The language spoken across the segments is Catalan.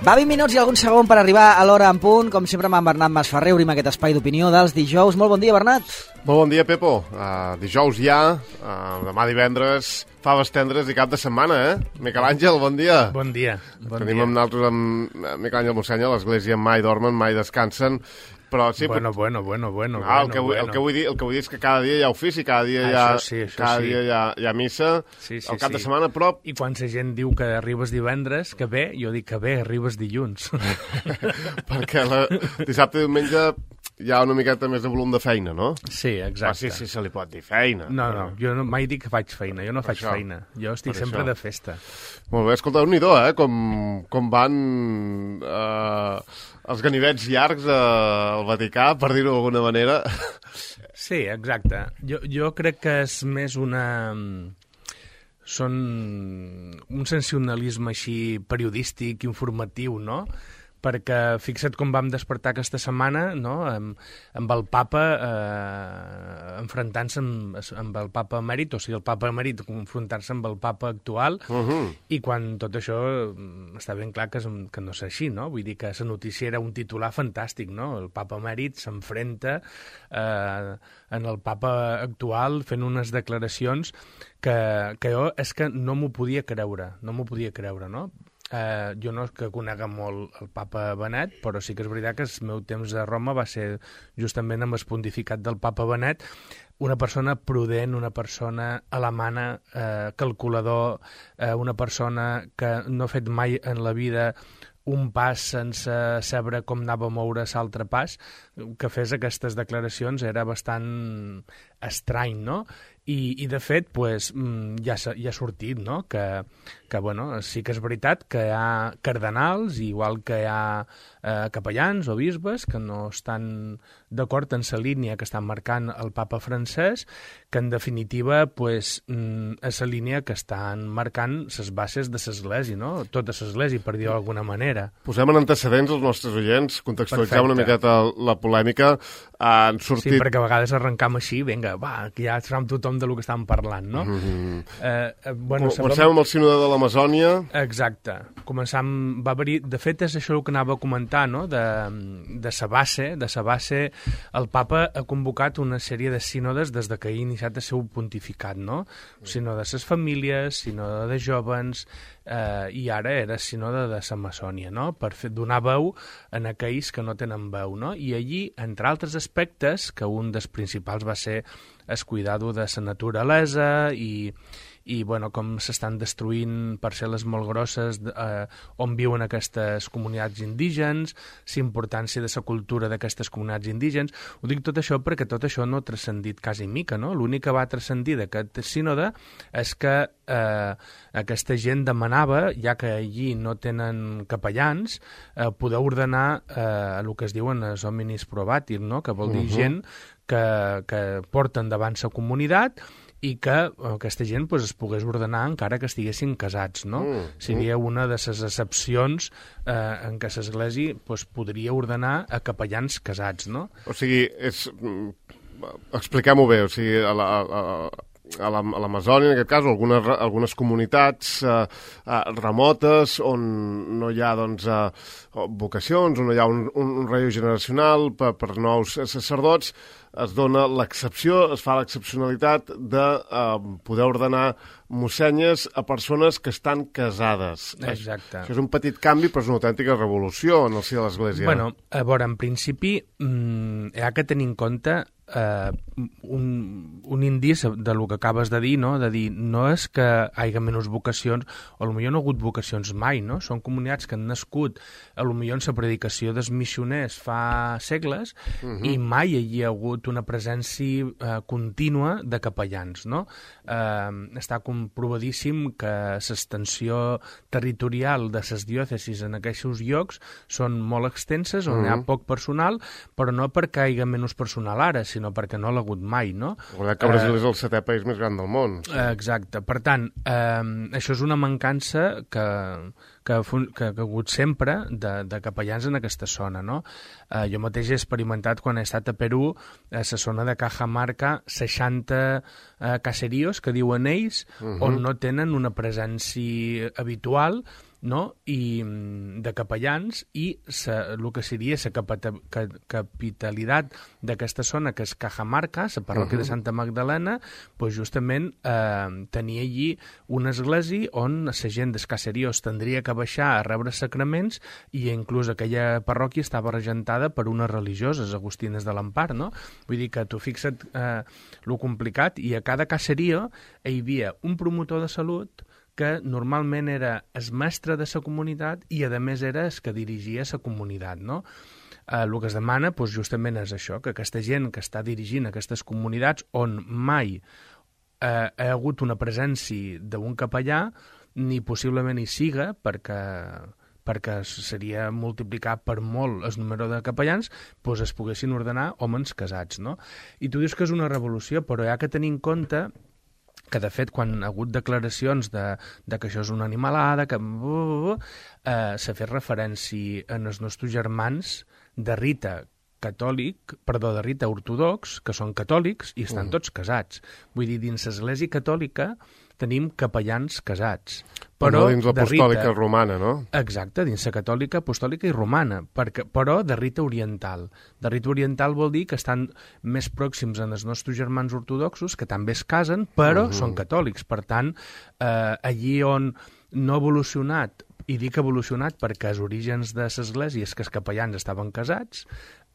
Va 20 minuts i algun segon per arribar a l'hora en punt. Com sempre amb en Bernat Masferrer obrim aquest espai d'opinió dels dijous. Molt bon dia, Bernat. Molt bon dia, Pepo. Dijous ja, demà divendres, faves tendres i cap de setmana, Miquel Àngel, bon dia. Bon dia. Tenim amb nosaltres amb Miquel Àngel Mossenya, a l'església mai dormen, mai descansen. Però sí, bueno. El que vull dir és que cada dia hi ha ofici, cada dia dia hi ha missa, al cap de setmana, però... I quan la gent diu que arribes divendres, que bé, jo dic que bé, arribes dilluns. Perquè dissabte i diumenge hi ha una miqueta més de volum de feina, no? Sí, exacte. Sí, se li pot dir feina. No, jo mai dic que faig feina, jo no faig feina. Jo estic sempre de festa. Molt bé, escolta, déu-n'hi-do, com van els ganivets llargs al Vaticà, per dir-ho d'alguna manera. Sí, exacte. Jo crec que és més són un sensacionalisme així periodístic, informatiu, no? Perquè fixa't com vam despertar aquesta setmana, no? amb el papa enfrontant-se amb el papa emèrit, o sigui, el papa emèrit confrontar-se amb el papa actual, i quan tot això està ben clar que no és així, no? Vull dir que la notícia era un titular fantàstic, no? El papa emèrit s'enfrenta en el papa actual fent unes declaracions que jo és que no m'ho podia creure, no? Jo no és que conega molt el papa Benet, però sí que és veritat que el meu temps a Roma va ser justament amb el pontificat del papa Benet, una persona prudent, una persona alemana, calculador, una persona que no ha fet mai en la vida un pas sense saber com anava a moure l'altre pas, que fes aquestes declaracions era bastant estrany, no? I de fet, pues, ja ha sortit, no? Que bueno, sí que és veritat que hi ha cardenals, igual que hi ha capellans o bisbes, que no estan d'acord en la línia que estan marcant el papa francès, que en definitiva pues, és la línia que estan marcant les bases de l'església, no? Tota l'església, per dir-ho d'alguna manera. Posem en antecedents els nostres oients, contextualitzem una miqueta la polèmica. Han sortit... Sí, perquè a vegades arrencam així, vinga, va, que ja sabem tothom de lo que estàvem parlant, no? Comencem amb el sínode de l'Amazònia. Exacte. Va haver-hi... De fet, és això el que anava a comentar, no? De sa base, el papa ha convocat una sèrie de sínodes des que ha iniciat el seu pontificat, no? Sínode de les famílies, sínode de jóvens, i ara era sínode de l'Amazònia, no? Per donar veu en aquells que no tenen veu, no? I allí, entre altres aspectes, que un dels principals va ser el cuidado de la naturalesa i bueno, com s'estan destruint parcel·les molt grosses on viuen aquestes comunitats indígenes, la importància de la cultura d'aquestes comunitats indígenes. Ho dic tot això perquè tot això no ha transcendit quasi mica, no? L'únic que va transcendir d'aquest sínode és que aquesta gent demanava, ja que allí no tenen capellans, poder ordenar el que es diuen els hominis probatir, no? Que vol dir gent que porta endavant la comunitat i que aquesta gent pues, es pogués ordenar encara que estiguessin casats, no? Seria una de les excepcions en què l'Església pues, podria ordenar a capellans casats, no? O sigui, expliquem-ho bé, o sigui, a l'Amazònia, en aquest cas, algunes comunitats remotes on no hi ha doncs, vocacions, on no hi ha un relleu generacional per nous sacerdots, es dona l'excepció, es fa l'excepcionalitat de poder ordenar mossenyes a persones que estan casades. Exacte. Això és un petit canvi, però és una autèntica revolució en el si de l'Església. Bueno, a veure, en principi, hi ha que tenir en compte un indici de lo que acabes de dir, no? De dir, no és que hi hagi menys vocacions, o potser no ha hagut vocacions mai, no? Són comunitats que han nascut potser en la predicació dels missioners fa segles i mai hi ha hagut una presència contínua de capellans, no? Està comprovadíssim que l'extensió territorial de les diòcesis en aquests llocs són molt extenses, on hi ha poc personal, però no perquè hi hagi menys personal ara, sinó perquè no l'ha hagut mai, no? Recordem que Brasil és el 7è país més gran del món. Exacte. Per tant, això és una mancança que ha hagut sempre de capellans en aquesta zona, no? Jo mateix he experimentat quan he estat a Perú, a la zona de Cajamarca, 60 caseríos, que diuen ells, on no tenen una presència habitual no? I de capellans, i el que seria la capitalitat d'aquesta zona, que és Cajamarca, la parròquia de Santa Magdalena, pues justament tenia allí una església on la gent dels caseríos tindria que baixar a rebre sacraments, i inclús aquella parròquia estava regentada per unes religioses, agustines de l'Empar, no? Vull dir que tu fixa't lo complicat, i a cada caserío hi havia un promotor de salut que normalment era el mestre de la comunitat i, a més, era el que dirigia la comunitat, no? El que es demana, doncs, justament és això, que aquesta gent que està dirigint aquestes comunitats on mai ha hagut una presència d'un capellà, ni possiblement hi siga, perquè seria multiplicar per molt el número de capellans, doncs es poguessin ordenar homes casats, no? I tu dius que és una revolució, però hi ha que tenir en compte que, de fet, quan ha hagut declaracions de que això és una animalada, que s'ha fet referència en els nostres germans de rite de rite ortodox, que són catòlics i estan tots casats. Vull dir, dins l'Església catòlica tenim capellans casats. Però dins l'apostòlica romana, no? Exacte, dins la catòlica, apostòlica i romana, però de rite oriental. De rite oriental vol dir que estan més pròxims als nostres germans ortodoxos, que també es casen, però són catòlics. Per tant, allí on no ha evolucionat, i dic evolucionat perquè els orígens de l'Església és que els capellans estaven casats,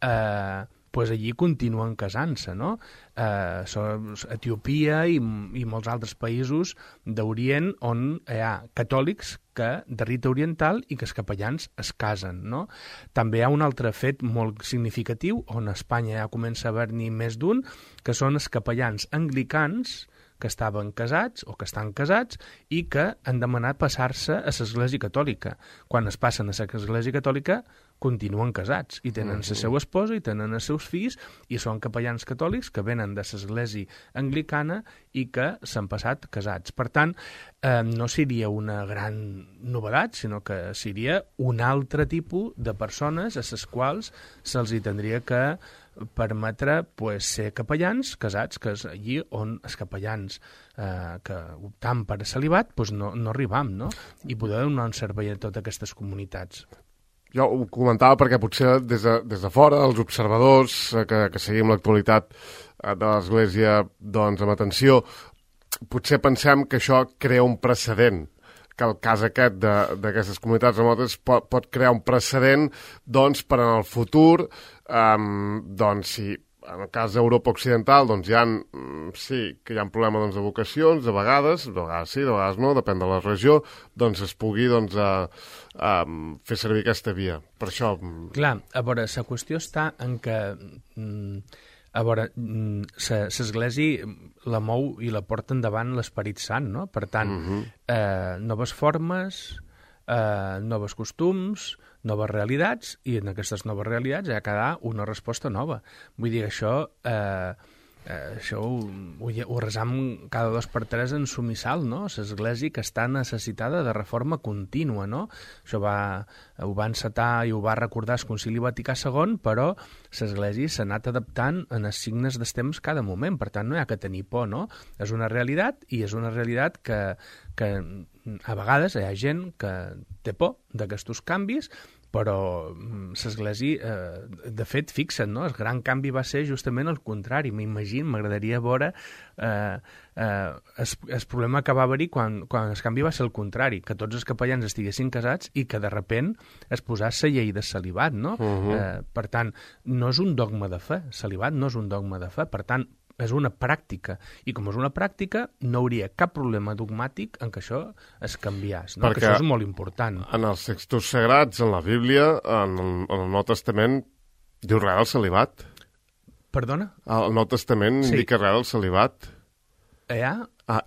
doncs allí continuen casant-se, no? Etiòpia i molts altres països d'Orient on hi ha catòlics de rite oriental i que els capellans es casen, no? També hi ha un altre fet molt significatiu, on a Espanya ja comença a haver-n'hi més d'un, que són els capellans anglicans que estaven casats o que estan casats i que han demanat passar-se a l'Església Catòlica. Quan es passen a l'Església Catòlica, continuen casats i tenen la seva esposa i tenen els seus fills i són capellans catòlics que venen de l'Església anglicana i que s'han passat casats. Per tant, no seria una gran novedat, sinó que seria un altre tipus de persones a les quals se'ls tindria que permetre ser capellans casats, que és allí on els capellans que optam per celibat no arribam, no? I poder donar un servei a totes aquestes comunitats. Jo ho comentava perquè potser des de fora, els observadors que seguim l'actualitat de l'Església doncs, amb atenció, potser pensem que això crea un precedent, que el cas aquest d'aquestes comunitats remotes pot crear un precedent doncs, per en el futur, doncs, si en el cas d'Europa Occidental doncs, que hi ha un problema doncs, de vocacions, de vegades sí, de vegades no, depèn de la regió, doncs es pugui doncs, fer servir aquesta via. Per això... Clar, a veure, la qüestió està en que... A veure, l'Església la mou i la porta endavant l'Esperit Sant, no? Per tant, noves formes, noves costums, noves realitats, i en aquestes noves realitats ha de quedar una resposta nova. Vull dir, això ho resam cada 2 per 3 en Somissal, no? L'Església que està necessitada de reforma contínua, no? Això ho va encetar i ho va recordar el Concili Vaticà II, però l'Església s'ha anat adaptant en els signes dels temps cada moment, per tant no hi ha que tenir por, no? És una realitat, i és una realitat que a vegades hi ha gent que té por d'aquests canvis, però l'Església, de fet, fixa't, no? El gran canvi va ser justament el contrari. M'agradaria veure el problema que va haver-hi quan el canvi va ser el contrari, que tots els capellans estiguessin casats i que de repent es posés la llei de celibat, no? Per tant, no és un dogma de fe, celibat no és un dogma de fe, per tant, és una pràctica, i com és una pràctica no hauria cap problema dogmàtic en que això es canviés, no? Que això és molt important. En els textos sagrats, en la Bíblia, en el Nou Testament, diu res del celibat? Perdona? El Nou Testament indica res del celibat?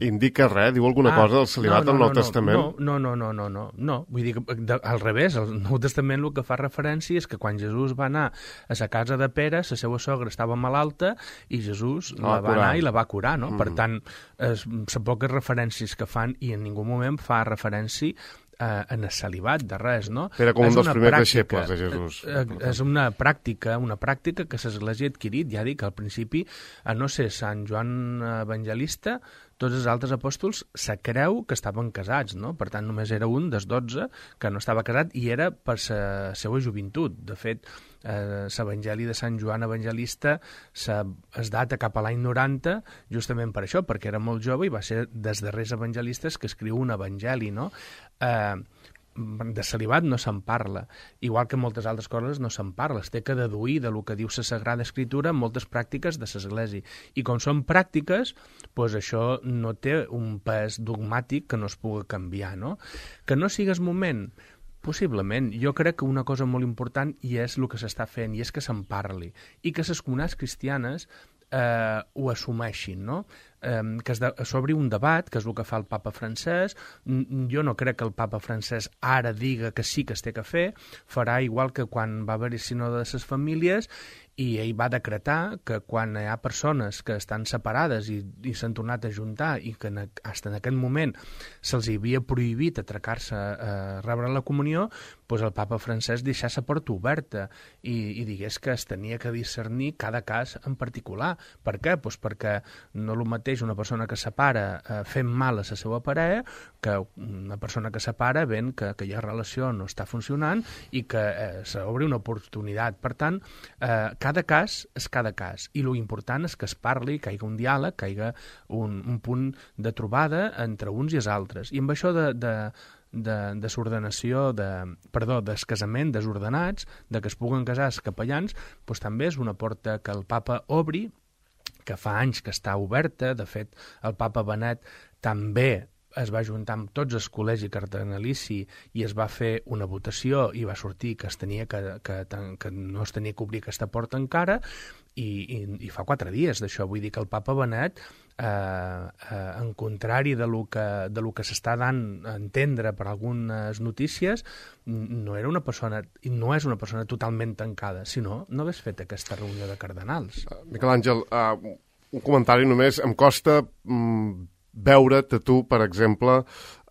Indica res? Diu alguna cosa del celibat al Nou Testament? No. Vull dir que al revés, el Nou Testament el que fa referència és que quan Jesús va anar a la casa de Pere, la seva sogra estava malalta i Jesús la va anar i la va curar, no? Per tant, les poques referències que fan, i en ningú moment fa referència en el celibat de res, no? Era com un dels primers deixebles de Jesús. És una pràctica que l'Església ha adquirit, ja dic, al principi, a no ser Sant Joan Evangelista, tots els altres apòstols se creu que estaven casats, no? Per tant, només era un dels 12 que no estava casat i era per la seva joventut. De fet, l'Evangeli de Sant Joan Evangelista es data cap a l'any 90 justament per això, perquè era molt jove i va ser dels darrers evangelistes que escriu un evangeli, no? De celibat no se'n parla, igual que moltes altres coses no se'n parla, es té que deduir de lo que diu la Sagrada Escritura moltes pràctiques de l'Església, i com són pràctiques, doncs això no té un pes dogmàtic que no es pugui canviar, no? Que no sigues moment, possiblement. Jo crec que una cosa molt important i és el que s'està fent, i és que se'n parli, i que les comunitats cristianes ho assumeixin, no? Que s'obri un debat, que és el que fa el papa francès. Jo no crec que el papa francès ara diga que sí que es té que fer, farà igual que quan va haver-hi sínode de les famílies, i ell va decretar que quan hi ha persones que estan separades i s'han tornat a juntar i que fins en aquest moment se'ls havia prohibit atracar-se a rebre la comunió, doncs el papa francès deixà la porta oberta i digués que es tenia que discernir cada cas en particular. Per què? Doncs perquè no el mateix una persona que separa fent mal a la seva parella que una persona que separa veient que aquella relació no està funcionant i que s'obre una oportunitat. Per tant, cada cas és cada cas, i l'important és que es parli, que hi hagi un diàleg, que hi hagi un punt de trobada entre uns i els altres. I amb això de s'ordenació, del casament desordenats, de que es puguen casar els capellans, doncs també és una porta que el papa obri, que fa anys que està oberta. De fet, el papa Benet també es va juntar amb tots els col·legi cardenalici i es va fer una votació i va sortir que no es tenia que obrir aquesta porta encara, i fa 4 dies d'això. Vull dir que el papa Benet, en contrari de lo que s'està dant a entendre per algunes notícies, no era una persona, i no és una persona totalment tancada, sinó no hagués fet aquesta reunió de cardenals. Miquel Àngel, un comentari només. Em costa veure't a tu, per exemple,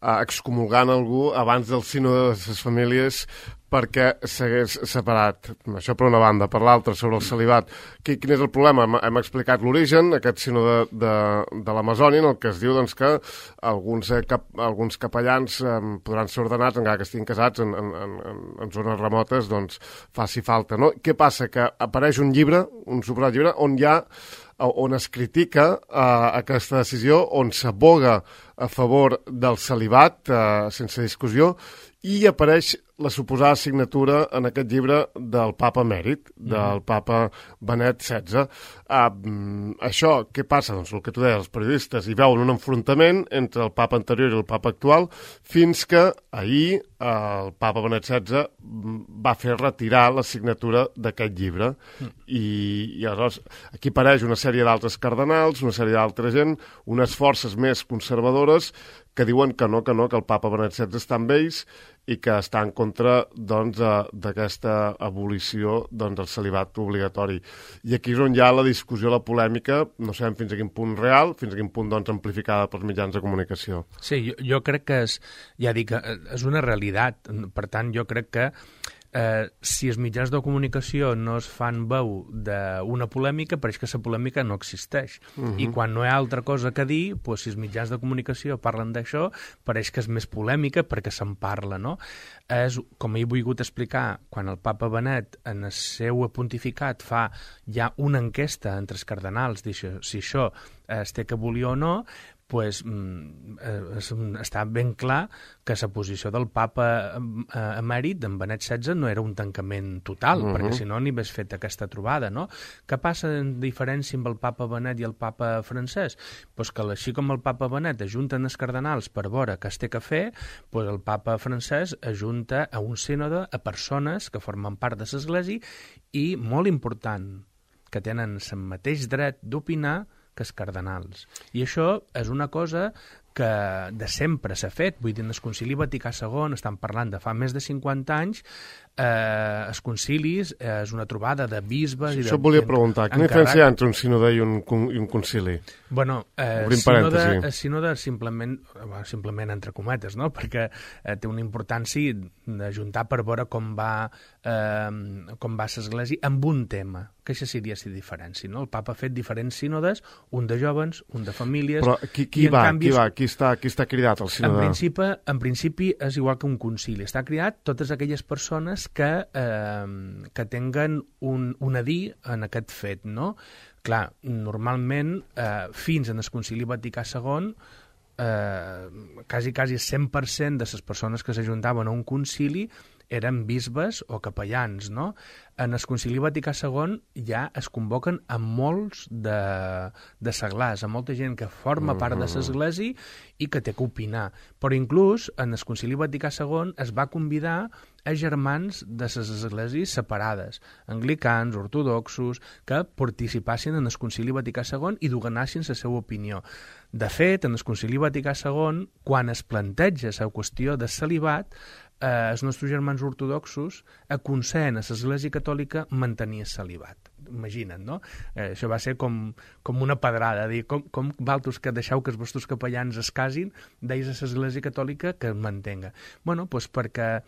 excomulgant algú abans del sínode de les famílies perquè s'hagués separat. Això per una banda. Per l'altra, sobre el celibat. Quin és el problema? Hem explicat l'origen, aquest sínode de l'Amazònia, en el que es diu doncs, que alguns capellans podran ser ordenats, encara que estiguin casats en zones remotes, doncs faci falta, no? Què passa? Que apareix un llibre, un subrat llibre, on es critica aquesta decisió, on s'aboga a favor del celibat, sense discussió, i apareix la suposada signatura en aquest llibre del papa emèrit, del papa Benet XVI. Això, què passa? Doncs el que tu deies, els periodistes hi veuen un enfrontament entre el papa anterior i el papa actual, fins que ahir el papa Benet XVI va fer retirar la signatura d'aquest llibre. I aleshores aquí apareix una sèrie d'altres cardenals, una sèrie d'altra gent, unes forces més conservadores que diuen que no, que el papa Benet XVI està amb ells i que està en contra doncs, d'aquesta abolició del celibat obligatori. I aquí és on hi ha la discussió, la polèmica, no sabem fins a quin punt real, fins a quin punt doncs, amplificada pels mitjans de comunicació. Sí, jo crec que és una realitat. Per tant, jo crec que si els mitjans de comunicació no es fan veu d'una polèmica, pareix que la polèmica no existeix. I quan no hi ha altra cosa que dir, doncs, si els mitjans de comunicació parlen d'això, pareix que és més polèmica perquè se'n parla, no? És, com he volgut explicar, quan el papa Benet en el seu pontificat fa ja una enquesta entre els cardenals, si això es té que abolir o no, pues, està ben clar que la posició del papa emèrit, d'en Benet XVI, no era un tancament total, perquè si no n'hi hagués fet aquesta trobada, no? Què passa en diferència amb el papa Benet i el papa francès? Pues que així com el papa Benet ajunten els cardenals per veure què es té que fer, pues el papa francès ajunta a un sínode a persones que formen part de l'Església i, molt important, que tenen el mateix dret d'opinar que els cardenals. I això és una cosa que de sempre s'ha fet. Vull dir, en el Concili Vaticà II, estan parlant de fa més de 50 anys, els concilis és una trobada de bisbes... Això et volia preguntar, quina diferència hi ha entre un sínode i un concili? Bueno, sínode simplement entre cometes, no? Perquè té una importància d'ajuntar per veure com va l'Església amb un tema. que això seria la diferència, no? El papa ha fet diferents sínodes, un de jovens, un de famílies... Però qui està cridat al sínode? En principi és igual que un concili. Està cridat totes aquelles persones que tinguen un a dir en aquest fet, no? Clar, normalment, fins en el concili Vaticà II, quasi 100% de les persones que s'ajuntaven a un concili eren bisbes o capellans, no? En el Concili Vaticà II ja es convoquen a molts de seglars, a molta gent que forma part de l'església i que té que opinar. Però inclús en el Concili Vaticà II es va convidar a germans de les esglésies separades, anglicans, ortodoxos, que participassin en el Concili Vaticà II i donessin la seva opinió. De fet, en el Concili Vaticà II, quan es planteja la qüestió del celibat, els nostres germans ortodoxos aconsellen a l'Església Catòlica mantenir el celibat. Imagina't, no? Això va ser com una pedrada, dir, com valtos que deixeu que els vostres capellans es casin, deis a l'Església Catòlica que es mantenga. Bueno, doncs perquè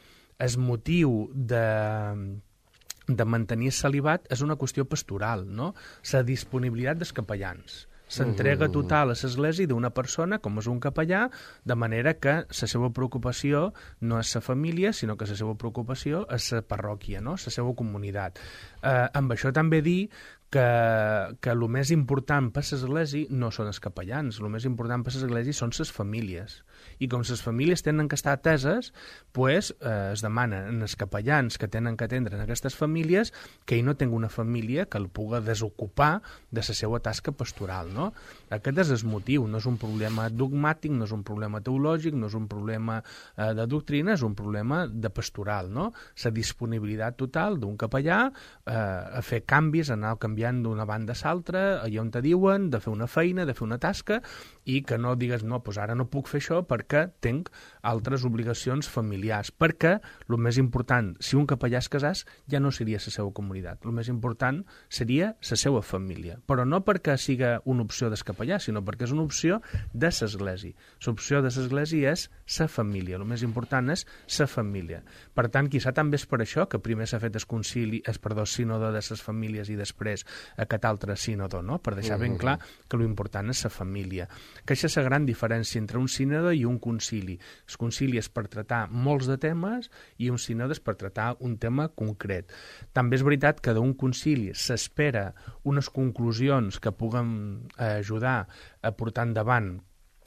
el motiu de mantenir el celibat és una qüestió pastoral, no? La disponibilitat dels capellans. S'entrega total a l'església d'una persona, com és un capellà, de manera que la seva preocupació no és la família, sinó que la seva preocupació és la parròquia, no? La seva comunitat. Amb això també dir que el més important per l'església no són els capellans, el més important per l'església són les famílies. I com les famílies tenen que estar ateses, pues, es demana als capellans que tenen que atendre en aquestes famílies que ell no tingui una família que el pugui desocupar de la seva tasca pastoral, no? Aquest és el motiu, no és un problema dogmàtic, no és un problema teològic, no és un problema de doctrina, és un problema de pastoral, no? La disponibilitat total d'un capellà a fer canvis, a anar canviant d'una banda a l'altra, allà on te diuen, de fer una feina, de fer una tasca, i que no digues, no, doncs ara no puc fer això perquè tinc altres obligacions familiars. Perquè el més important, si un capellà es casàs, ja no seria la seva comunitat. El més important seria la seva família. Però no perquè sigui una opció del capellà, sinó perquè és una opció de l'església. L'opció de l'església és la família. El més important és la família. Per tant, quizà també és per això que primer s'ha fet el sínode de les famílies i després aquest altre sínode, no? Per deixar ben clar que l'important és la família. Que això és la gran diferència entre un sínode i un concili. El concili és per tractar molts de temes i un sínode és per tractar un tema concret. També és veritat que d'un concili s'espera unes conclusions que puguen ajudar a portar endavant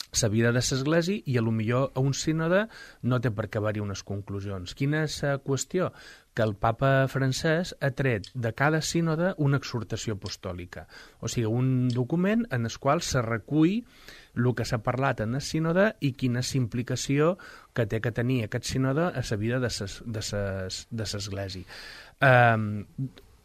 la vida de l'església i millor a un sínode no té per què haver-hi unes conclusions. Quina és la qüestió? Que el papa francès ha tret de cada sínode una exhortació apostòlica, o sigui, un document en el qual se recull el que s'ha parlat en el sínode i quina és l'implicació que té que tenir aquest sínode a la vida de l'església.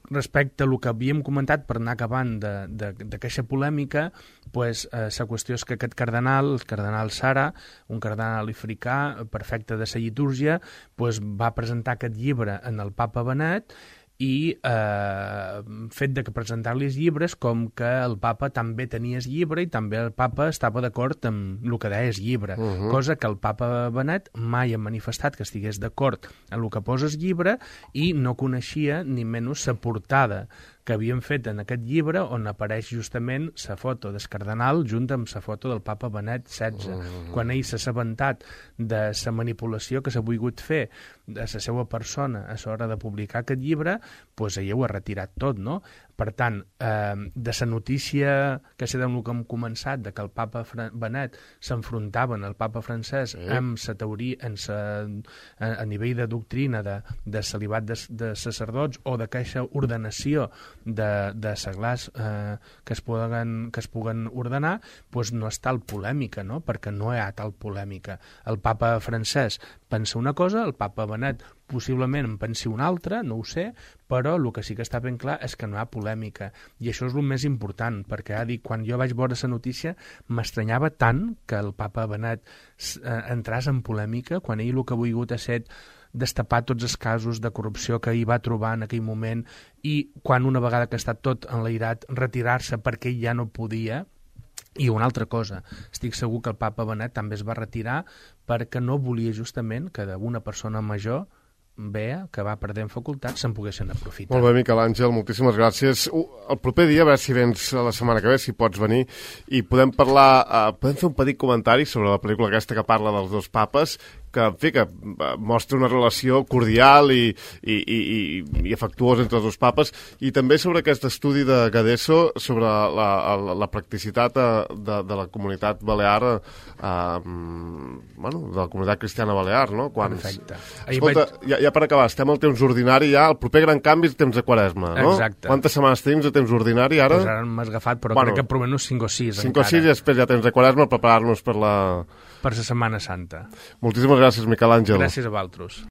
Respecte a el que havíem comentat per anar acabant d'aquesta polèmica, pues, la qüestió és que aquest cardenal, el cardenal Sara, un cardenal africà perfecte de la litúrgia, pues, va presentar aquest llibre en el papa Benet i fet de que presentar-li els llibres com que el papa també tenia el llibre i també el papa estava d'acord amb el que deia el llibre, cosa que el papa Benet mai ha manifestat que estigués d'acord amb el que posa el llibre i no coneixia ni menys la portada que havien fet en aquest llibre on apareix justament la foto del cardenal junt amb la foto del papa Benet XVI. Quan ell s'ha assabentat de la manipulació que s'ha volgut fer de la seva persona a l'hora de publicar aquest llibre, doncs ell ho ha retirat tot, no? Per tant, de la notícia que sé del que hem començat, de que el papa Benet s'enfrontaven al papa francès amb la teoria, a nivell de doctrina de celibat de sacerdots o d'aquesta ordenació de seglars que es puguen ordenar, doncs no és tal polèmica, no? Perquè no hi ha tal polèmica. El papa francès pensa una cosa, el papa Benet possiblement en pensi una altra, no ho sé, però el que sí que està ben clar és que no hi ha polèmica. I això és el més important, perquè quan jo vaig veure la notícia m'estranyava tant que el papa Benet entrés en polèmica quan ell el que ha volgut ha set destapar tots els casos de corrupció que ell va trobar en aquell moment i quan una vegada que està tot enlairat retirar-se perquè ell ja no podia. I una altra cosa, estic segur que el papa Benet també es va retirar perquè no volia justament que d'una persona major Bea, que va perdent facultats, se'n poguessin aprofitar. Molt bé, Miquel Àngel, moltíssimes gràcies. El proper dia, a veure si vens la setmana que ve, si pots venir, i podem parlar, podem fer un petit comentari sobre la pel·lícula aquesta que parla dels dos papes, que, en fi, que mostra una relació cordial i afectuosa entre els dos papes, i també sobre aquest estudi de Gadeso sobre la practicitat de la comunitat balear, bueno, de la comunitat cristiana balear, no? Perfecte. Escolta, ja per acabar, estem al temps ordinari ja, el proper gran canvi és temps de Quaresma, no? Exacte. Quantes setmanes tenim de temps ordinari ara? Pues ara m'has agafat, però crec que per almenys 5 o 6 5 o 6 i després ja temps de Quaresma, preparar-nos per la Setmana Santa. Moltíssimes gràcies, Miquel Àngel. Gràcies a vosaltres.